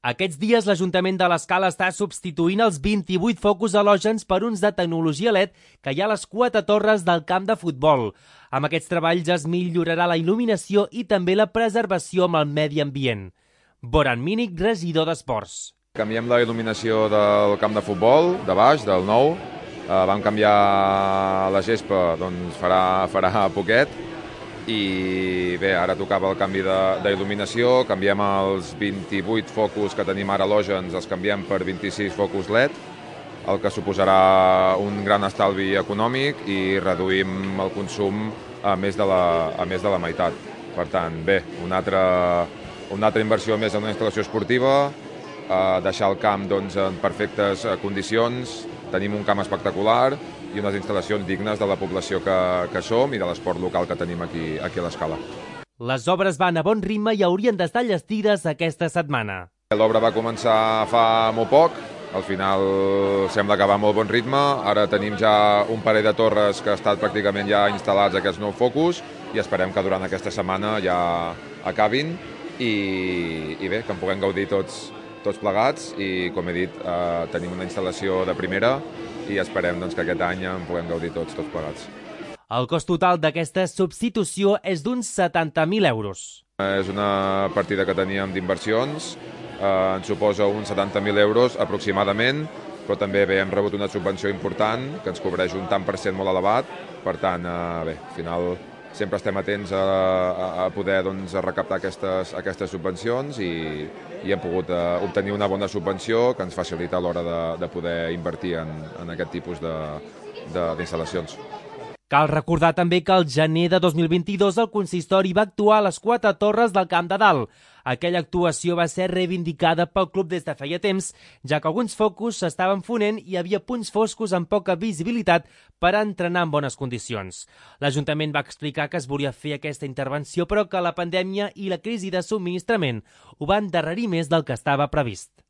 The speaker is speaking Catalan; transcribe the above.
Aquests dies l'Ajuntament de l'Escala està substituint els 28 focus halògens per uns de tecnologia LED que hi ha a les 4 torres del camp de futbol. Amb aquests treballs es millorarà la il·luminació i també la preservació amb el medi ambient. Boran Mínic, regidor d'Esports. Canviem la il·luminació del camp de futbol, de baix, del nou. Vam canviar la gespa, doncs farà poquet. I bé, ara tocava el canvi d'il·luminació, canviem els 28 focus que tenim ara halògens, els canviem per 26 focus LED, el que suposarà un gran estalvi econòmic i reduïm el consum a més de la meitat. Per tant, bé, una altra inversió més en una instal·lació esportiva, deixar el camp en perfectes condicions, tenim un camp espectacular i unes instal·lacions dignes de la població que som i de l'esport local que tenim aquí a l'Escala. Les obres van a bon ritme i haurien d'estar llestides aquesta setmana. L'obra va començar fa molt poc, al final sembla que va a molt bon ritme, ara tenim ja un parell de torres que estan pràcticament ja instal·lats aquests nous focus i esperem que durant aquesta setmana ja acabin i bé, que en puguem gaudir tots plegats i, com he dit, tenim una instal·lació de primera i esperem que aquest any en puguem gaudir tots plegats. El cost total d'aquesta substitució és d'uns 70.000 euros. És una partida que teníem d'inversions, ens suposa uns 70.000 euros aproximadament, però també hem rebut una subvenció important que ens cobreix un tant per cent molt elevat, per tant, bé, al final sempre estem atents a poder recaptar aquestes subvencions i hem pogut obtenir una bona subvenció que ens facilita a l'hora de poder invertir en aquest tipus d'instal·lacions. Cal recordar també que al gener de 2022 el consistori va actuar a les 4 torres del Camp de Dalt. Aquella actuació va ser reivindicada pel club des de feia temps, ja que alguns focus s'estaven fonent i hi havia punts foscos amb poca visibilitat per entrenar en bones condicions. L'Ajuntament va explicar que es volia fer aquesta intervenció, però que la pandèmia i la crisi de subministrament ho van endarrerir més del que estava previst.